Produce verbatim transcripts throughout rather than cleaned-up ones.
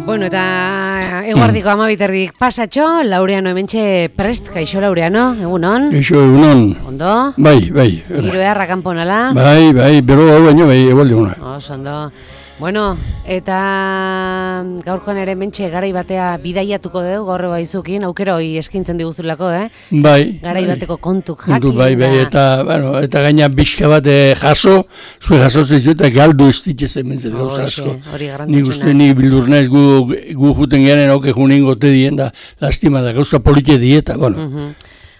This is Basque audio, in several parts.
Bueno, eta eguardiko amabiterdik pasatxo, Laureano hementxe prest, kaixo Laureano, egunon? Kaixo, egunon. Ondo? Bai, bai. Giro eharra kanponala? Bai, bai, bero hau baino, bai, egualde una. Oso, ondo. Bueno, eta gaurkoan ere mentxe garai batea bidaiatuko dugu gaur baizukin, aukero hori eskintzen diguzulako, eh? Bai. Garai bai. bateko kontuk jakin. Kontu, bai, bai, eta, bueno, eta gaina bizka bat eh, jaso, zue jasotzen zu eta galdu ez ditze mentzen gauza asko. Hori Nik garrantzitsuna. uste nik bildur naiz gu, gu juten garen hauke junin gote dien da, lastima da, gauza polite dieta, bueno. Uh -huh.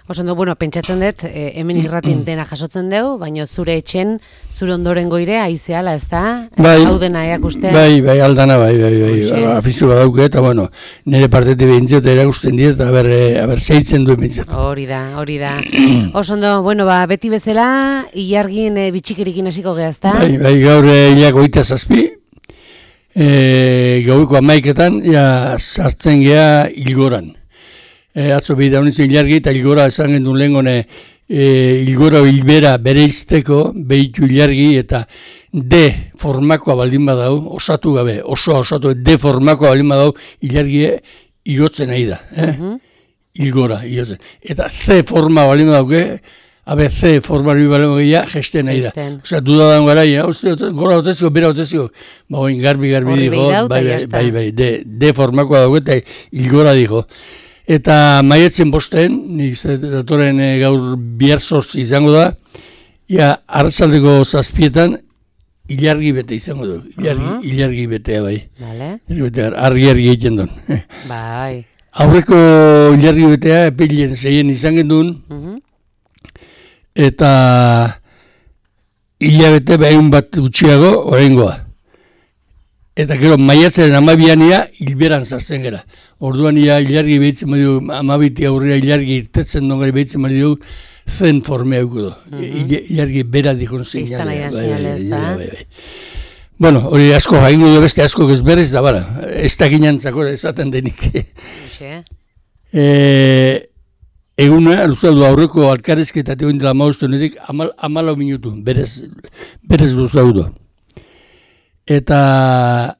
Oso ondo, bueno, pentsatzen dut, eh, hemen irratin dena jasotzen dugu, baina zure etxen, zure ondorengo ire, aizeala, ez da? Bai, Hau dena erakusten. bai, bai, aldana, bai, bai, bai, Hoxe. afizio bat dauke, eta, bueno, nire partetik behintzat erakusten diet, eta aber, eh, aber zeitzen duen behintzat. Hori da, hori da. Oso ondo, bueno, ba, beti bezala, ilargin e, bitxikerikin hasiko gehazta. Bai, bai, gaur eh, hilak oita zazpi, e, gaueko amaiketan, ja, sartzen geha hilgoran. E, atzo bida honitzen ilargi eta hilgora esan gendun lehen gone, e, hilgora hilbera bere izteko, behitu ilargi eta D formakoa baldin badau, osatu gabe, osoa osatu, D formakoa baldin badau, ilargi igotzen nahi da, eh? Mhm. Hilgora, igotzen. Eta C forma baldin badauke, abe C forma baldin badauke, gesten nahi da. Gesten. Osea, dudadan gara, ja, gora otezio, bera otezio, ba, oin garbi, garbi Horri dijo, begiratu, bai, eta bai, jazta. bai, bai, D, D formakoa dauke eta hilgora dijo. Eta maietzen bosten, nik datoren e, gaur bihar sortzi izango da, ja, arratsaldeko zazpietan, ilargi bete izango du, ilargi, Uh-huh. ilargi betea bai. Vale. Ilargi betea, argi-argi egiten duen. Bai. Aurreko ilargi betea, epeilen zeien izan gendun, Mhm. eta hilabete behun bat gutxiago oraingoa. Eta gero maiatzaren amabiania hilberan sartzen gara. Orduan ia ilargi behitzen badiu, amabiti aurrera ilargi irtetzen dongari behitzen badiu, zen formea euko du. Ilargi bera dikon Iztan seinalea. aidan seinale, ez da? bai, bai. Bueno, hori asko jaingo du beste asko gezberriz da, bara, ez da ginantzako esaten denik. Hoxe. e, eguna, luzaldu aurreko alkarezketatik oin dela maustu nedik, amal, amalau minutu, berez, berez luzaldu. Eta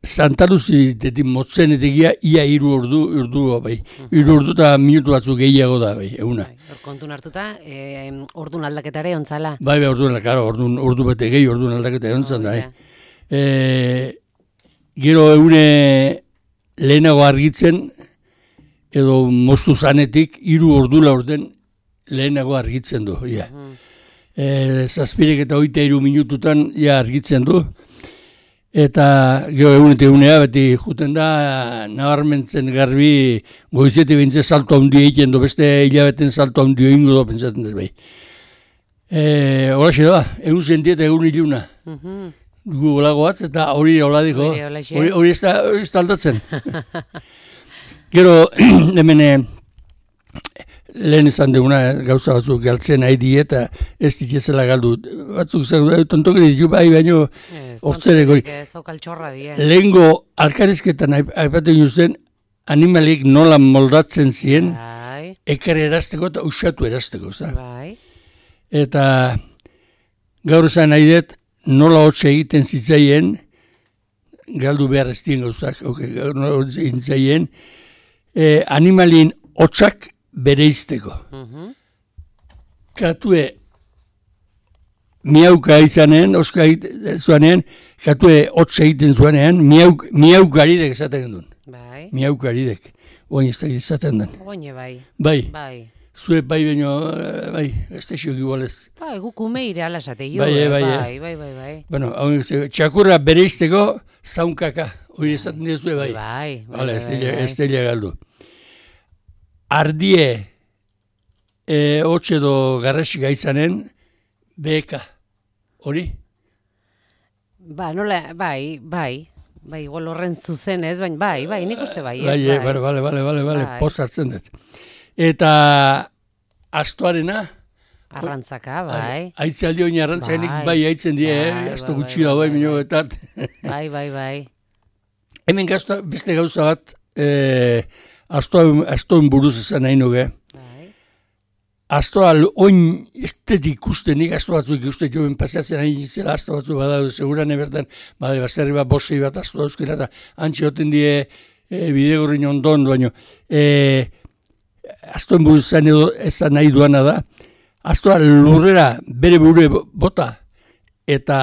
Santa Luzitetik motzenetegia ia hiru ordu, ordu bai. Hiru ordu eta minutu batzuk gehiago da, bai, eguna. Bai, hor kontun hartuta, e, ordun aldaketare ontzala. Bai, bai, ordu, claro, ordu, ordu bete gehi, ordu aldaketa egontzen da, eh. E, gero egune lehenago argitzen, edo moztu zanetik, hiru ordu laurden lehenago argitzen du, ja. Mhm. E, zazpirek eta hogeita hiru minututan ja argitzen du. Eta gero egunetik egunea beti juten da nabarmentzen garbi goizetik bintze salto handi egiten du, beste hilabeten salto handi egingo du pentsatzen dut bai. E, Horaxe da, egun zentie eta egun iluna. Mhm. Gu olago batz eta hori hola diko, Hori holaxe. hori hori ez da hori ez da aldatzen. Gero hemen eh, lehen izan duguna eh, gauza batzuk galtzen nahi die eta ez ditezela galdu. Batzuk zer, tontokeri ditu bai, baino hortzereko. Zaukaltxorra die. Lehengo alkarezketan aip- aipatzen juzen animalik nola moldatzen ziren Bai, ekar erazteko eta usatu erazteko. Za? bai. Eta gaur esan nahi dut nola hotxe egiten zitzaien, galdu behar ez dien gauzak, okay, nola hotxe egiten zitzaien, eh, animalien hotxak bereizteko. Mhm. Katue miauka izanen, oska zuanean, katue hotx egiten zuanean, miauk, miaukaridek esaten gendun. Bai. Miaukaridek. Oin ez da izaten den. Oine bai. Bai, Bai. zue bai baino, eh, bai, ez da xioki igualez. Bai, guk ume ire ala esate jo. Bai, eh, bai, bai, bai, bai, bai. Bueno, hau ze- txakurra bereizteko zaunkaka. Hori esaten dizue bai. Bai, bai, Vale, bai, ez bai, dela- bai. ez dela galdu. Ardie, e, hotxe edo garrasika izanen, beka. Hori? Ba, nola, bai, bai. Bai, igual horren zuzen ez, baina bai, bai, nik uste bai, ez, Bai, eh, bale, bale, bale, bale, bale, Bai. poz hartzen dut. Eta astoarena, Arrantzaka, bai. aitze aldi oin arrantzaenik Bai. bai aitzen die, Bai, eh? Asto bai, gutxi bai, da bai, bai, minio bai. betat. Bai, bai, bai. Hemen gazta, beste gauza bat, e, astoen buruz esan nahi nuke. Astoa oin estetik ikusten, nik asto batzuk ikusten joen pasatzen nahi zela asto batzuk badaude, seguran ebertan, badare, baserri bat, bosei bat asto dauzkera, eta antxe hoten die e, bidegorrin ondon, baino, e, astoen buruz esan, edo, esan nahi duana da, astoa lurrera bere bure bota, eta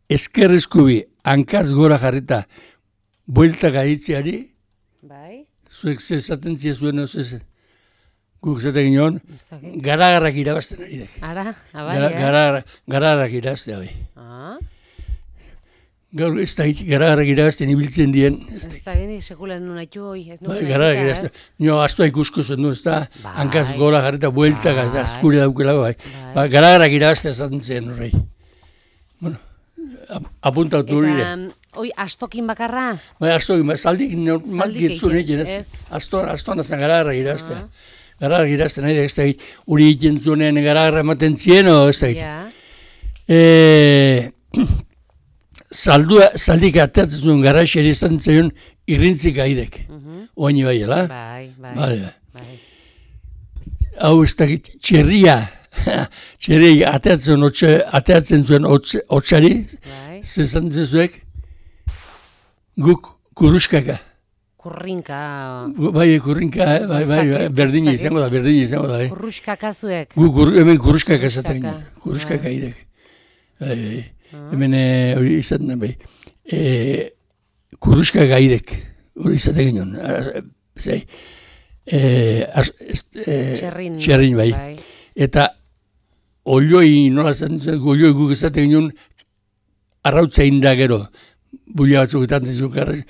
eskerrezkubi hankaz gora jarrita buelta gaitziari, bai. Zuek zezaten zuen ez guk zaten ginen, garagarrak irabazten ari dek. Ara, abai, Gara, garagarrak irabazten abi. Ah? Gaur ez da hit, garagarrak irabazten ibiltzen dien. Ez da gini, sekulan nuna itxu hoi. Garagarrak irabazten. Nio, astoa ikusko zen du, ez da, hankaz gora jarrita buelta, askure daukela, bai. Garagarrak irabazten zaten zen horrei. Bueno, apuntatu hori. Eta, hoi, astokin bakarra? Bai, astokin, zaldik normal gitzun egin, ez? Astoan, astoan azan garagarrak irabazten. Garagarrak irabazten nahi da, ez da hit, hori egiten zunen garagarrak ematen zien, o, ez da hit. Zaldua, zaldik ateatzen zuen garaxeri izan zaion irrintzik aidek. Oaini bai, ela? Bai, bai. Bai. Hau ez da hit, txerria, txerria ateatzen, ateatzen zuen otxari, zezan zezuek, guk kuruskaka. Kurrinka. Bai, kurrinka, bai, bai, berdina izango da, berdina izango da. Kurruskaka zuek. Gu, hemen kurruskaka esaten ginen, kurruskaka idek. Bai, bai, hemen hori izaten da, bai. Kurruskaka idek, hori izaten ginen. Zai, txerrin, bai. Eta olioi, nola zaten zen, olioi guk esaten ginen, arrautza inda gero, bulia batzuk etaten zuen,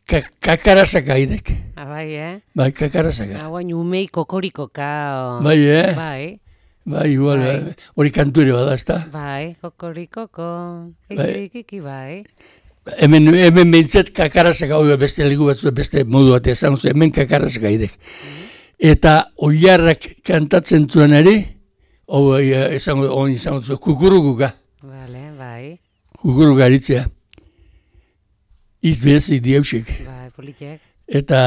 Kakarazaka idek. Ah, bai, eh? Bai, kakarazaka. Ah, guain umei kokorikoka. Bai, eh? Bai. Bai, igual, hori kantu ere bada, ez da? Bai, kokorikoko, kikirikiki, bai. Hemen, hemen behintzat kakarazaka, hori beste ligu batzu, beste modu bat esan, hemen kakarazaka idek. Eta oilarrak kantatzen zuen ere, hori esango, hori izango zuen, kukurukuka. Bale, bai. Kukuruka aritzea. Izbezik dieusik. Bai, politikek. Eta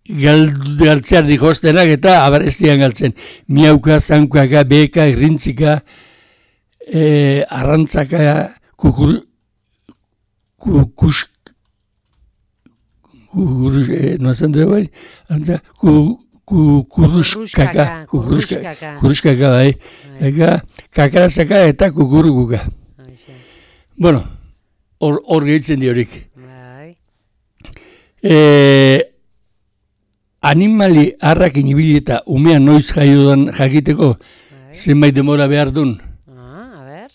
galtzear dikostenak eta abarestian galtzen. Miauka, zankaka, beka, irrintzika, e, arrantzaka, kukur, kukus, kukurus, e, no esan dugu bai, antza, kukuruskaka, kukuruskaka, kukuruskaka bai, eka, kakarazaka eta kukurukuka. Bueno, hor, hor gehitzen diorik. Bai. E, animali harrakin ibili eta umea noiz jaiodan jakiteko zenbait demora behar duen. Ah, a ber.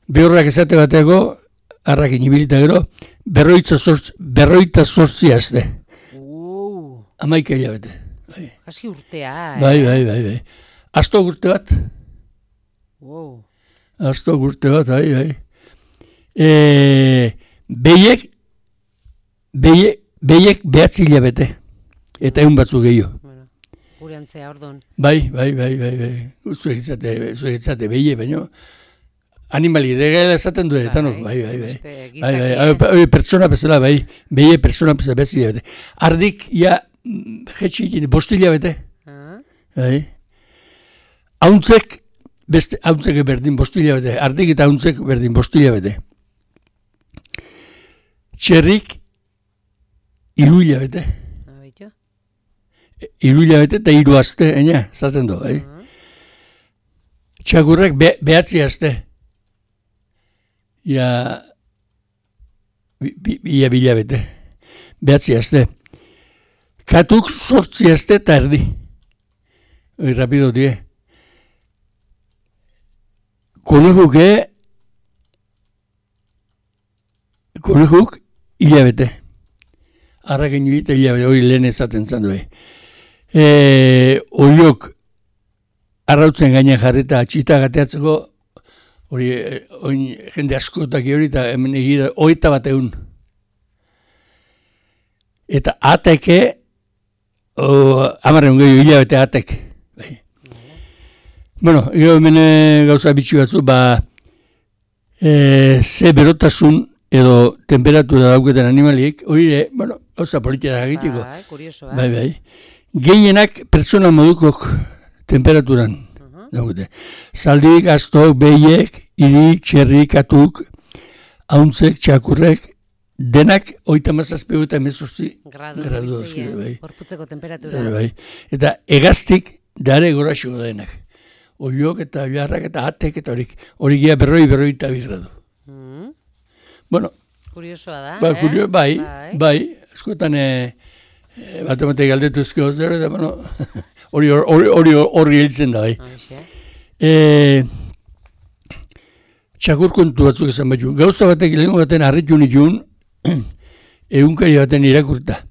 Behorrak esate bateko harrakin ibili eta gero berroita sortzi, berroita sortzi azte. Uh. Amaika hilabete. Bai. Kasi urtea, eh? Bai, bai, bai, bai. Asto urte bat. Wow. Asto urte bat, bai, bai. E, behiek, behiek, behiek behatzi hilabete. Eta egun batzu gehiago. Bueno, gure antzea, ordon. Bai, bai, bai, bai, bai. Zuek itzate, zuek itzate behie, baina animali, degela esaten du, eta nok, bai, bai, bai. Bai, bai, bai, pertsona bezala, bai, behie pertsona bezala behatzi hilabete. Ardik, ja, jetxik, bosti hilabete. Ah. Bai. Hauntzek, beste, hauntzek berdin bosti hilabete. Ardik eta hauntzek berdin bosti hilabete. Txerrik, hiru hilabete. Abeitu. Hiru hilabete eta hiru azte, ena, zaten du, bai. Txakurrak be, behatzi azte. Ia, bi, ia bilabete. Behatzi azte. Katuk sortzi azte eta erdi. Oi, rapido die. Konejuke, konejuk, hilabete. Arraken hilabete, hilabete, hori lehen ezaten zan du. E, Oiok, arrautzen gainean jarrita atxita gateatzeko, hori, oin, jende askotak hori, eta hemen egira, oita bat egun. Eta ateke, amarren gehiago hilabete atek. Bai. Bueno, gero hemen gauza bitxi batzu, ba, e, ze berotasun edo temperatura dauketen animaliek, hori ere, bueno, gauza politia egiteko. Bai, kurioso, bai, bai. Gehienak pertsona modukok temperaturan uh-huh. daukete. Zaldik, astok, behiek, irik, txerrik, katuk, hauntzek, txakurrek, denak oita mazazpego eta emezortzi gradu. Bai. Gorputzeko temperatura. Bai. Eta egaztik dare goraxo denak. Oiok eta oiarrak eta atek eta horik. Hori gira berroi, berroi eta bi gradu. Mm. Bueno. Kuriosoa da, ba, eh? Kurio, bai, bai, bai. Eskotan, e, e, bat-emate galdetu ezkio zero, eta, bueno, hori hori hori hiltzen da, bai. E, txakur kontu batzuk esan batu. Gauza batek, lehenko baten harritu nituen, egunkari baten irakurta.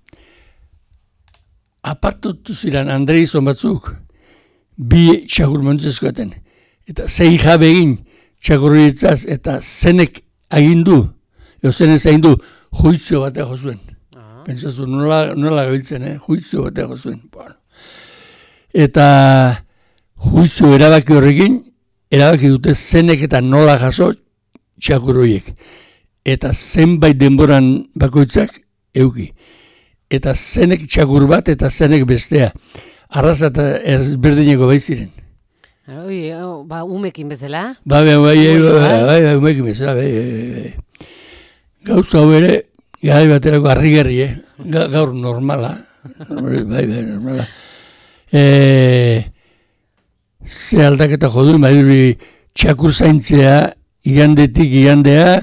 Apartutu ziren Andreizon batzuk, bi txakur montzezkoaten. Eta zei jabe egin txakurritzaz, eta zenek agindu, eo zenez agindu, juizio batea jozuen. Uh-huh. Pentsazu, nola, nola gabiltzen, eh? Juizio batea jozuen. Bueno. Eta juizio erabaki horrekin, erabaki dute zenek eta nola jaso txakurroiek. Eta zenbait denboran bakoitzak euki. Eta zenek txakur bat eta zenek bestea. Arraza eta ezberdineko bai ziren. Oi, ba, umekin bezala? Ba, bai, bai, bai, bai, umekin bezala, bai, bai. Gauza hau ere, gai baterako harri-gerri, eh? Gaur normala. Bai, bai, normala. E, ze aldaketa jodun, bai, txakur zaintzea, igandetik igandea,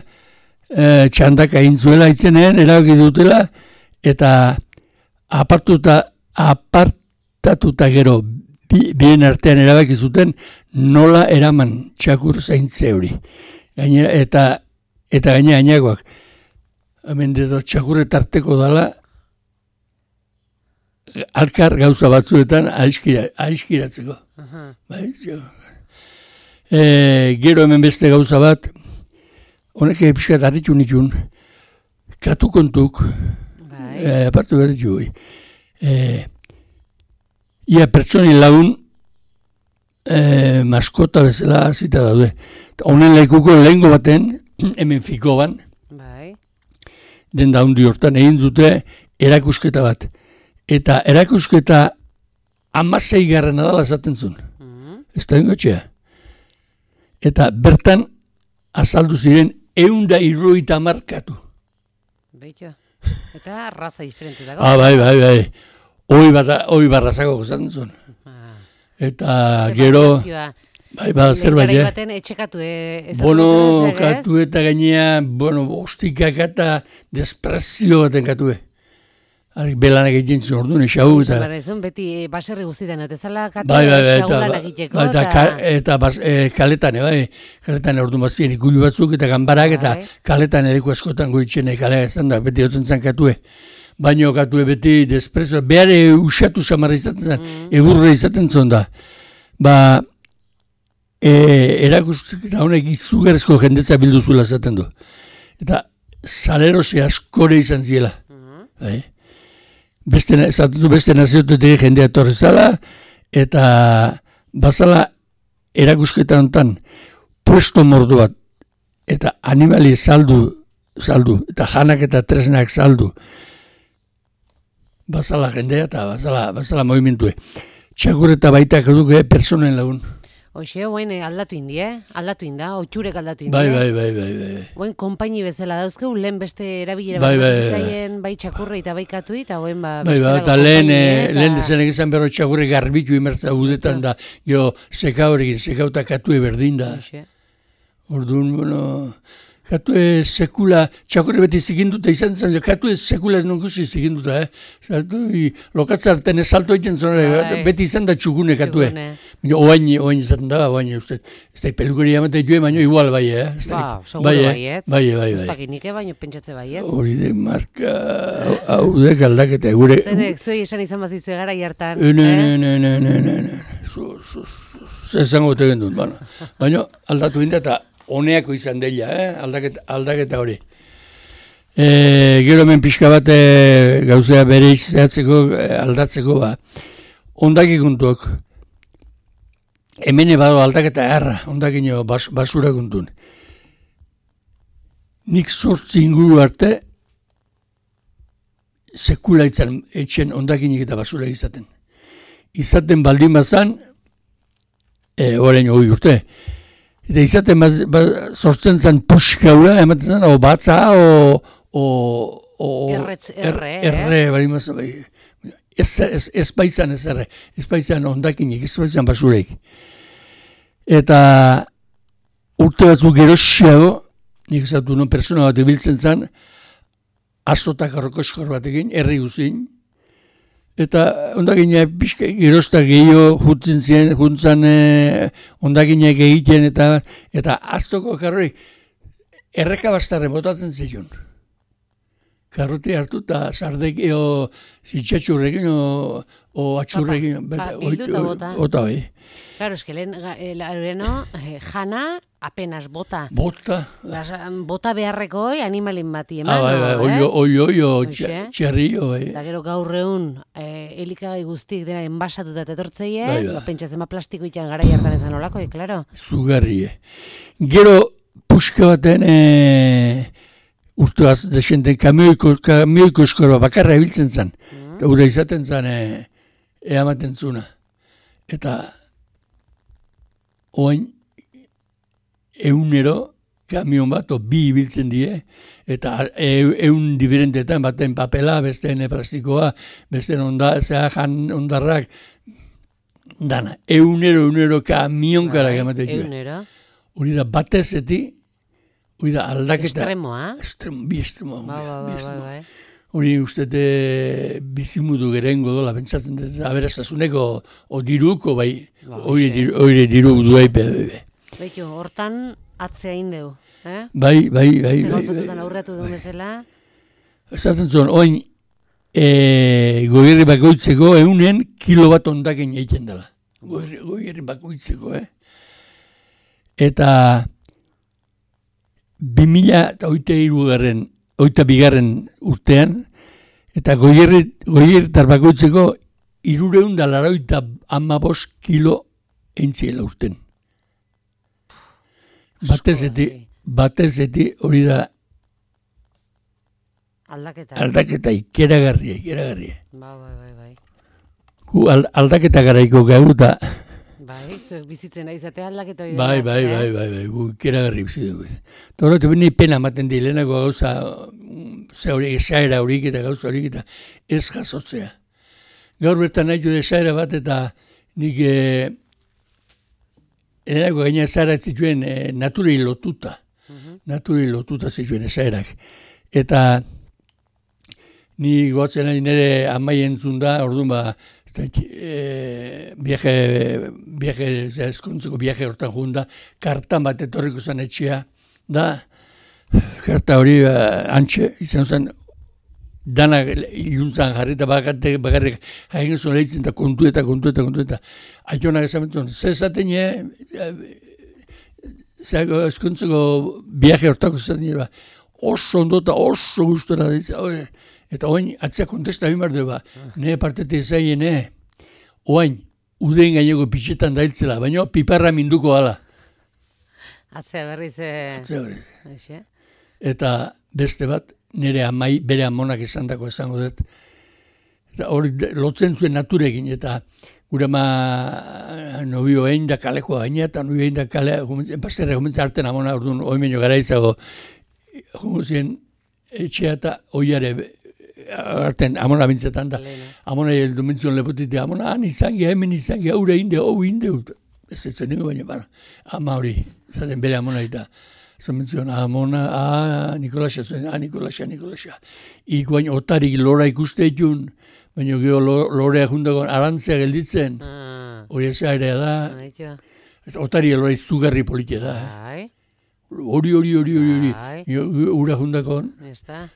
e, txandak aintzuela itzenean, erabaki dutela, eta apartuta, apartatuta gero, bi, bien artean erabaki zuten, nola eraman txakur zaintze hori. Gainera, eta, eta gaina gainagoak. Hemen dedo txakurretarteko dala, alkar gauza batzuetan aiskira, aiskiratzeko. Uh-huh. Bai, e, gero hemen beste gauza bat, honek epskat harritu nitun, katu kontuk, bai. e, apartu berritu goi. E, ia pertsonin lagun e, maskota bezala zita daude. Honen laikuko lehengo baten, hemen fikoban, bai. Den daundi hortan egin dute erakusketa bat. Eta erakusketa amasei garren adala esaten zuen. Mm-hmm. Ez da ingotxea. Eta bertan azaldu ziren eunda irroita markatu. Beito. Eta raza diferente dago. Ah, bai, bai, bai. Hoi oi barrazako gozatzen zuen. Ah. Eta zer gero... Bai, bada zerbait, eh? Baten etxekatu, eh? Bono, katu eta gainea, bueno, ostikak eta desprezio baten katue. Belanak egiten zuen orduan, esau eta... Beti baserri guztietan, eta zala katu bai, bai, esaulan egiteko. Bai, eta, ka, eta bas, e, kaletan, bai, kaletan orduan bazien ikulu batzuk eta gambarak, eta kaletan edeko askotan goitzen kalea ezan da, beti hotzen zan katue. Baino katue beti desprezio, behar usatu samarra izaten zen, mm. egurra izaten zuen da. Ba, e, erakusketa honek izugarrizko jendetza bildu zuela zaten du. Eta salerosi askore izan ziela. Mm. Bai. Beste, zatatu beste naziotetik jendea torri zala, eta bazala erakusketa honetan puesto mordu bat, eta animali saldu, saldu, eta janak eta tresnak saldu, bazala jendea eta bazala, bazala movimentue. Txakur eta baitak eduke personen lagun. Hoxe, oain aldatu indi, eh? Aldatu inda, otxurek aldatu indi. Bai, bai, bai, bai, bai. Oain konpaini bezala dauzkeu, lehen beste erabilera bai, bat bai, zitzaien, bai txakurra eta bai katui, eta oain ba bai, beste bai, dago eta lehen, konpaini, eta... lehen dezenek izan berro txakurre garbitu imertza udetan da, jo, seka horrekin, seka eta katue berdin da. Hoxe. Orduan, bueno... Katue sekula, txakurri beti zikinduta izan zen, katue sekula ez nonkusi zikinduta, eh? Zaltu, lokatzarten ez salto egiten zuen, beti izan da txukune katue. Oain, oain izaten da, oain uste. Ez da, pelukeri amate joe, baino igual bai, eh? Ba, seguro bai, eh? Bai, bai, bai. Ez dakinik, baino pentsatze bai, eh? Hori de marka, hau de galdaketa, gure... Zenek, zuei esan izan bazizue gara jartan, eh? Ne, ne, ne, ne, ne, ne, ne, zu, zu, zu, zezango tegen dut, baina. Baina aldatu inda eta honeako izan dela, eh? aldaketa, aldaketa hori. E, gero hemen pixka bat e, gauzea bere izatzeko, aldatzeko, ba. Ondaki kontuak. Hemen bado aldaketa erra, ondakino bas, basura kontun. nik zortzi inguru arte sekula itzan etxen ondakinik eta basura izaten. Izaten baldin bazan, e, orain hori urte, eta izaten baz, baz, sortzen zen puxkaura, ematen zen, o batza, o... o, o Erretz, erre, er, erre, baldin bazan, bai. Ez, ez, ez baizan ez erre, ez baizan ondakinik, ez baizan basureik. Eta urte batzuk gerosiago, nik ezatu non persona bat ibiltzen zen, azotak arrokoskor batekin, herri guzin, eta ondakina pixka gerosta gehiago jutzen ziren, juntzan eh, ondakinak egiten, eta eta aztoko karroik erreka bastarren botatzen zion. Karrote hartu eta sardek, o zitxatxurrekin, o, o atxurrekin. Pa, pa, bilduta bota. Ota bai. Claro, es que lehen, leheno, jana apenas bota. Bota. Las, bota beharreko hoi animalin bati eman. Ah, bai, bai, oio, oio, oio, txerrio, bai. Eta gero gaur egun, eh, elikagai guztik dena enbasatuta etortzeie, bai, bai. Ba, pentsatzen ma plastiko ikan gara jartan ezan olako, klaro. Zugarrie. Gero, puska baten, eh, urtuaz, desenten, kamioiko, kamioiko eskorba bakarra ebiltzen zen. Mm. Eta ura izaten zen, eh, eamaten zuna. Eta, oain, eunero, kamion bat, o bi ibiltzen die, eta eun diferentetan, baten papela, besteen plastikoa, besteen onda, zera jan ondarrak, dana, eunero, eunero kamionkara ematen dira. Eunero. Hori da, batezeti, hori da, aldaketa. Estremoa. Estremo, bi estremo. Ba, ba, ba, ba, ba. Hori ustete bizimudu gerengo dola, pentsatzen dut, aberastasuneko, o diruko, bai, hori diru, diru duai, be, Beitu, hortan atzea indeu, eh? Bai, bai, bai. Este gauzatutan aurreatu duen bezala. Esaten zuen, oin, e, goierri bakoitzeko eunen kilo bat ondaken egiten dela. Goierri, goierri bakoitzeko, eh? Eta bi mila eta oita hirugarren, oita bigarren urtean, eta goierri, goierritar bakoitzeko hirureun da laroita hamabos kilo entziela urten. Batezeti, batezeti hori da aldaketa. Aldaketa ikeragarria, ikeragarria. Ba, bai, bai, bai. Gu aldaketa garaiko gau eta... Bai, zuek bizitzen aizatea aldaketa hori. Bai, bai, bai, bai, bai, gu ikeragarri bizi dugu. Eta horretu bine pena ematen di, lehenako gauza, ze hori, esaera horik eta gauza horik eta ez jasotzea. Gaur bertan nahi du esaera bat eta nik... E, Erako gaina esaerak zituen e, naturei lotuta. Uh-huh. Naturei lotuta zituen esaerak. Eta ni goatzen ari nire amai entzun da, orduan ba, e, viaje, viaje, eskontzeko viaje hortan joan da, kartan bat etorriko zen etxea, da, karta hori ba, antxe, izan zen, dana iluntzan jarri eta bakarrik, bakarrik haien zuen lehitzen eta kontu eta kontu eta kontu eta aitonak esametzen, ze esaten e, zeako eskontzeko viaje hortako esaten ba, oso ondo eta oso gustora da, eta oain atzea kontesta bimar du ba, nire partetik zaien, oain uden gaineko pitxetan dailtzela, baina piparra minduko ala. Atzea berriz... Atzea berriz. Eta beste bat, nire amai, bere amonak esan dako esango dut. Eta hori lotzen zuen naturekin, eta gure ama nobio egin da kalekoa gaina, eta nobio egin da kalea, enpazterra gomentzen arten amona, orduan, oimenio gara izago, jomuzien etxea eta oiare arten amona bintzetan da. Amona heldu mentzion lepotite, amona han izangia, hemen izangia, aurre inde, hau inde, ez ez zen baina, bana, ama hori, zaten bere amona eta, zamenzion, amona, ah, Nikolasia zuen, ah, Nikolasia, Nikolasia. Ikuain otarik lora ikuste etun, baina geho lorea jundagoen arantzea gelditzen, hori eza ere da, otari lora izugarri politia da. Hori, hori, hori, hori, hori, ura jundagoen. Eta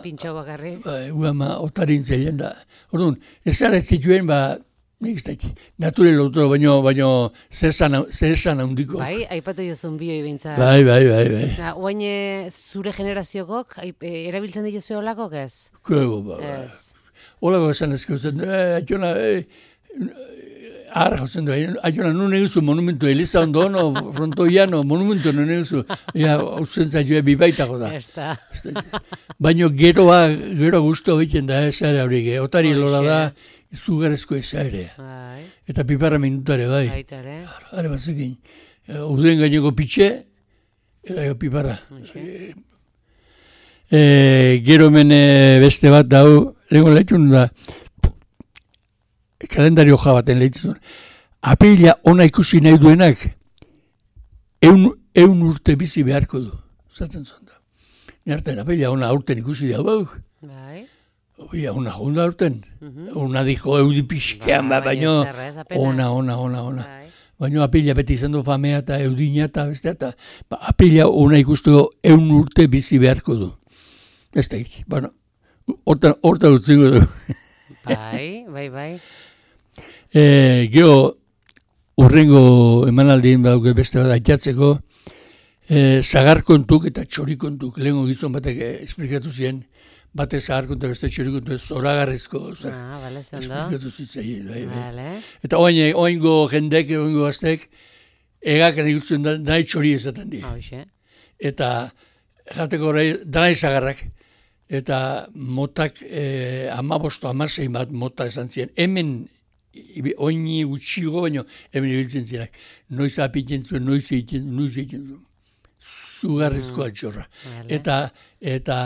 pintxau bakarri. Gu ama otarin zelen da. Orduan, ez ara zituen, ba, nik ez daik, nature lotu, baino, baino, zesan handiko. Bai, aipatu jozun bioi bintzat. Bai, bai, bai, bai. Oain zure generaziokok, erabiltzen dituzu olakok ez? Kego, ba, ba. Olako esan ezko zen, eh, atxona, eh, Arra, jotzen du, aiona, nun eguzu monumentu, Eliza ondo, no, frontoiano, monumentu nun eguzu, ja, hauzen zaitue bibaitako da. Esta. Baina geroa, gero guztu egiten da, esare hori, otari lora da, izugarezko esarea. Bai. Eta piparra minutare, bai. Baitare. Hara batzekin, uden gaineko pitxe, eta piparra. E, gero hemen beste bat dau, lehenko lehitun da, kalendario ja baten lehitzen. Apirila ona ikusi nahi duenak, eun, eun urte bizi beharko du. Zaten zon da. Nerten, apirila ona aurten ikusi da, bau. Bai. Apirila ona jonda aurten. Ona dijo eudi pixkean, ba, baino, ona, ona, ona, ona. Baina apirila beti izan du famea eta eudina eta beste eta ba, apirila ona ikustu eun urte bizi beharko du. Ez da ik, bueno, horta, horta utziko du. Bai, bai, bai. E, Geo, urrengo emanaldien badauke beste bat aitatzeko, e, zagarkontuk eta txorikontuk, lehenko gizon batek esplikatu ziren, bate zagarkontu beste txorikontu, zoragarrizko, ah, vale, esplikatu zitzen. Bai, bai. Vale. Eta oain, oaingo jendek, oaingo aztek, egak nahi da, nahi txori ezaten di. Hauxe. Eta jateko horrei, danai zagarrak. Eta motak, e, amabosto, amasein bat mota esan ziren. Hemen, oini gutxigo, baina hemen ibiltzen zirak. Noiz apiten zuen, noiz egiten, noiz egiten zuen. Zugarrizko altxorra. Eta, eta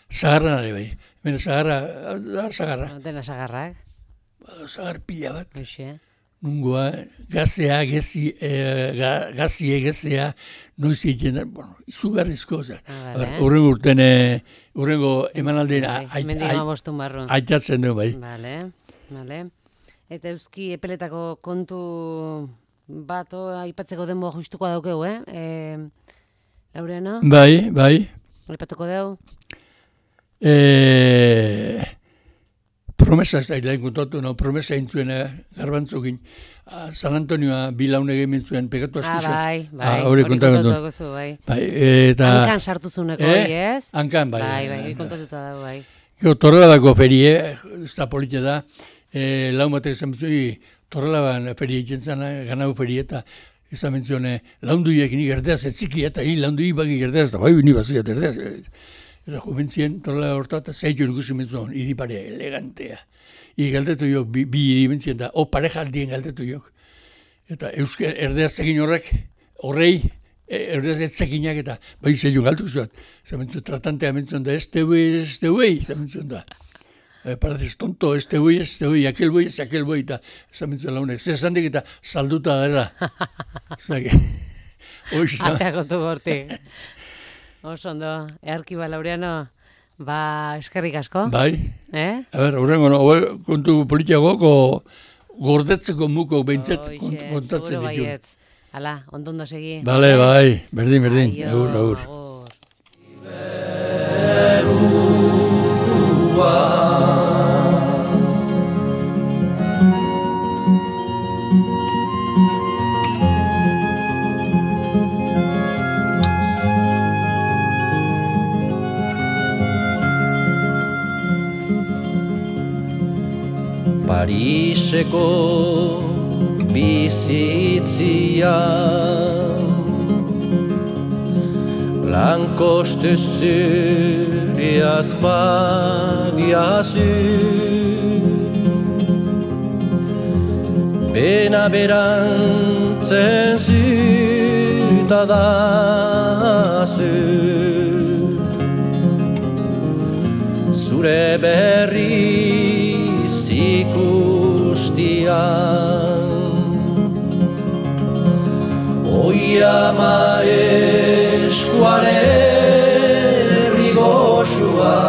zagarra nare bai. Hemen zagarra, da zagarra. Dena zagarrak. Zagar pila bat. Hoxe. Nungoa, gazea, gezi, e, ga, gazie, gezea, noiz egiten, bueno, izugarrizko. Urrengo urten, urrengo emanaldean aitatzen du bai. Vale, vale. Eta euski epeletako kontu bat aipatzeko denboa justuko daukeu, eh? E, Laureano? Bai, bai. Aipatuko deu? E, promesa ez da, ilain kontatu, no? Promesa intzuen garbantzukin. San Antonioa bilaune egin zuen pegatu asko. Ah, bai, bai. Hori kontatu zu, bai. Bai, eta... Hankan sartu zuneko, eh? Ez? Hankan, bai. Bai, bai, hori kontatuta dago, bai. Gero, torreladako ferie, ez da politia da, e, lau batek esan bizui, torrelaban ferie egiten zen, ganau ferie, eta esan mentzioen, launduiek nik erdeaz, etziki, eta hi laundui baki erdeaz, eta bai, ni baziat erdeaz. Eta jubentzien, torrela horta, eta zeitu ikusi mentzioen, iriparea, elegantea. I galdetu jo, bi, bi iribentzien da, o pareja aldien galdetu jo. Eta euske erdeaz egin horrek, horrei, erdeaz etzekinak eta, bai zeitu galtu zuat. Zamentzio, tratantea mentzioen da, este buey, este buey, zamentzioen da. Eh, parazes tonto, este buey, este buey, aquel buey, aquel buey, eta zamentzioen launek. Zer zandik eta salduta dela. Zake, hoiz. Ateako tu gortik. Oso ondo, earkiba Laureano, ba, eskerrik asko. Bai. Eh? A ber, horrengo, no, kontu politiagoko gordetzeko muko behintzet kontatzen ditu. Seguro baietz. Hala, ondondo segi. Bale, bai, berdin, berdin. Agur, agur. Pariseko bizitzia Lankoste zuriaz bagiazu Bena berantzen zutadazu Zure berri ikustian Oi ama eskuare rigoxua